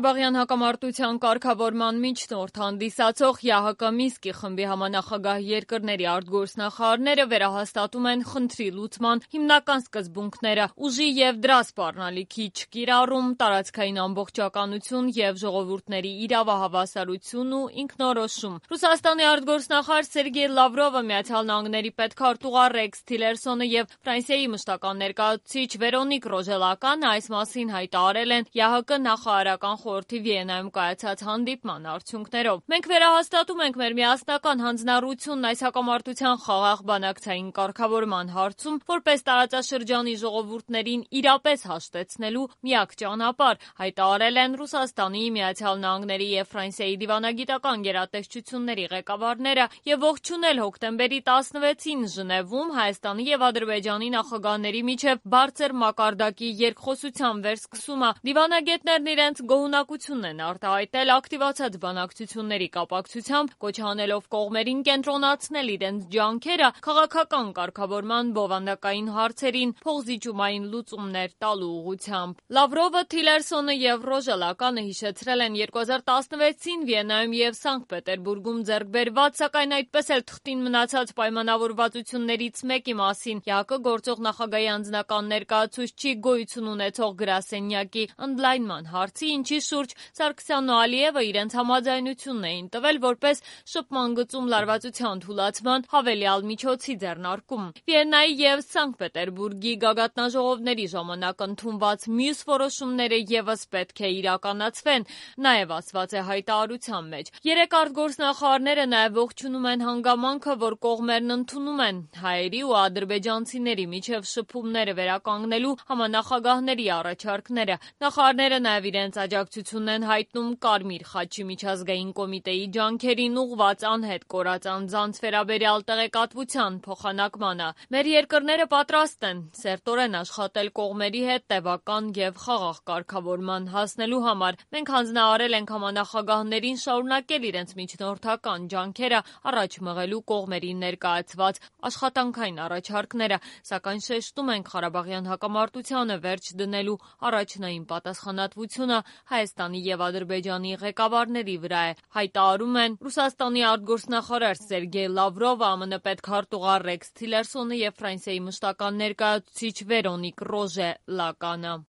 Ղարաբաղյան հակամարտության կարգավորման միջնորդ հանդիսացող ԵԱՀԿ Մինսկի խմբի համանախագահ երկրների արտգործնախարարները վերահաստատում են խնդրի լուծման հիմնական սկզբունքները՝ ուժի և դրա սպառնալիքի չկիրառում, տարածքային ամբողջականություն և ժողովուրդների իրավահավասարություն ու ինքնորոշում։ Ռուսաստանի արտգործնախարար Սերգեյ Լավրովը, ԱՄՆ պետքարտուղար Ռեքս Թիլերսոնը և Ֆրանսիայի մշտական ներկայացուցիչ Վերոնիկ Ռոժելականը այս մասին հայտարարել են ԵԱՀԿ նախարարական խորհրդի Վիեննայում կայացած հանդիպման արդյունքներով։ Մենք վերահաստատում ենք մեր միասնական հանձնառությունն այս հակամարտության խաղաղ բանակցային կարգավորման հարցում, որպես տարածաշրջանի ժողովուրդներին իրապես հաշտեցնելու միակ ճանապարհ, հայտարարել են Ռուսաստանի, ԱՄՆ-ի և Ֆրանսիայի դիվանագիտական գերատեսչությունների ղեկավարները և ողջունել հոկտեմբերի 16-ին Ժնևում Հայաստանի և Ադրբեջանի նախագահների միջև բարձր մակարդակի երկխոսության վերսկսումը։ Դիվանագետներն իրենց գոհունակությունն են արտահայտել ակտիվացած բանակցությունների կապակցությամբ, կոչ անելով կողմերին կենտրոնացնել իրենց ջանքերը քաղաքական կարգավորման բովանդակային հարցերին փոխզիջումային լուծումներ տալու ուղղությամբ։ Լավրովը, Թիլերսոնը և Ռոժելականը հիշեցրել են 2016-ին Վիեննայում և Սանկտ Պետերբուրգում ձեռք բերված, սակայն այդպես էլ թղթին մնացած պայմանավորվածություններից մեկի մասին ԵԱՀԿ գործող նախագահի անձնական ներկայացուցչի գոյություն ունեցող գրասենյակի ընդլայնման հարցի, ինչի շուրջ Սարգսյանն ու Ալիևը իրենց համաձայնությունն էին տվել որպես շփման գծում լարվածության թուլացման հավելյալ միջոցի ձեռնարկում։ Վիեննայի և Սանկտ Պետերբուրգի գագաթնաժողովների ժամանակ ընդունված մյուս որոշումները ևս պետք է իրականացվեն, նաև ասված է հայտարարության մեջ։ Երեք արտգործնախարարները նաև ողջունում են հանգամանքը, որ կողմերն ընդունում են հայերի ու ադրբեջանցիների միջև շփումները վերականգնելու համանախագահների առաջարկները։ Նախարարները նաև իրենց աջակցությունն են հայտնում Կարմիր խաչի միջազգային կոմիտեի ջանքերին ուղղված անհետ կորած անձանց վերաբերյալ տեղեկատվության փոխանակմանը։ Մեր երկրները պատրաստ են սերտորեն աշխատել կողմերի հետ տևական և խաղաղ կարգավորման հասնելու համար։ Մենք հանձնարարել ենք համանախագահներին շարունակել իրենց միջնորդական ջանքերը առաջ մղելու կողմերին ներկայացված աշխատանքային առաջարկները, սակայն շեշտում ենք Ղարաբաղյան հակամարտությանը վերջ դնելու առաջնային պատասխանատվությունը Հայաստանի և Ադրբեջանի ղեկավարների վրա է, հայտարարում են Ռուսաստանի արտգործնախարար Սերգեյ Լավրովը, ԱՄՆ պետքարտուղար Ռեքս Թիլերսոնը և Ֆրանսիայի մշտական ներկայացուցիչ Վերոնիկ Ռոժելականը։